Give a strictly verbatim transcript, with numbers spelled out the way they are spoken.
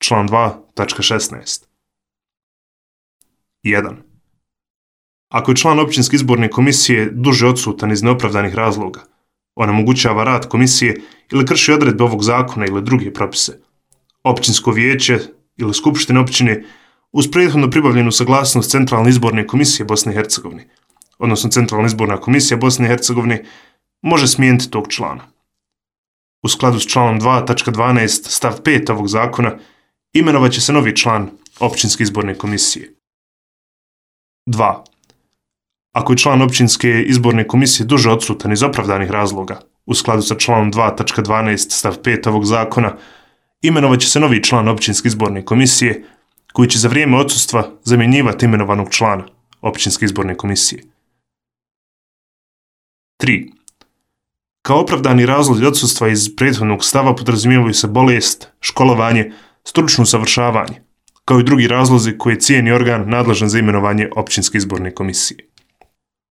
član dva tačka šesnaest. jedan. Ako je član općinske izborne komisije duže odsutan iz neopravdanih razloga, onemogućava rad komisije ili krši odredbe ovog zakona ili druge propise, općinsko vijeće ili skupštine općine uz prethodno pribavljenu saglasnost Centralne izborne komisije Bosne i Hercegovine, odnosno Centralna izborna komisija Bosne i Hercegovine, može smijeniti tog člana. U skladu s članom dva tačka dvanaest stav pet ovog zakona imenovat će se novi član općinske izborne komisije. dva. Ako je član općinske izborne komisije duže odsutan iz opravdanih razloga, u skladu sa članom dva tačka dvanaest stav pet ovog zakona, imenovat će se novi član općinske izborne komisije koji će za vrijeme odsustva zamjenjivati imenovanog člana općinske izborne komisije. tri. Kao opravdani razlozi odsustva iz prethodnog stava podrazumijevaju se bolest, školovanje, stručno usavršavanje, kao i drugi razlozi koje cijeni organ nadležan za imenovanje općinske izborne komisije.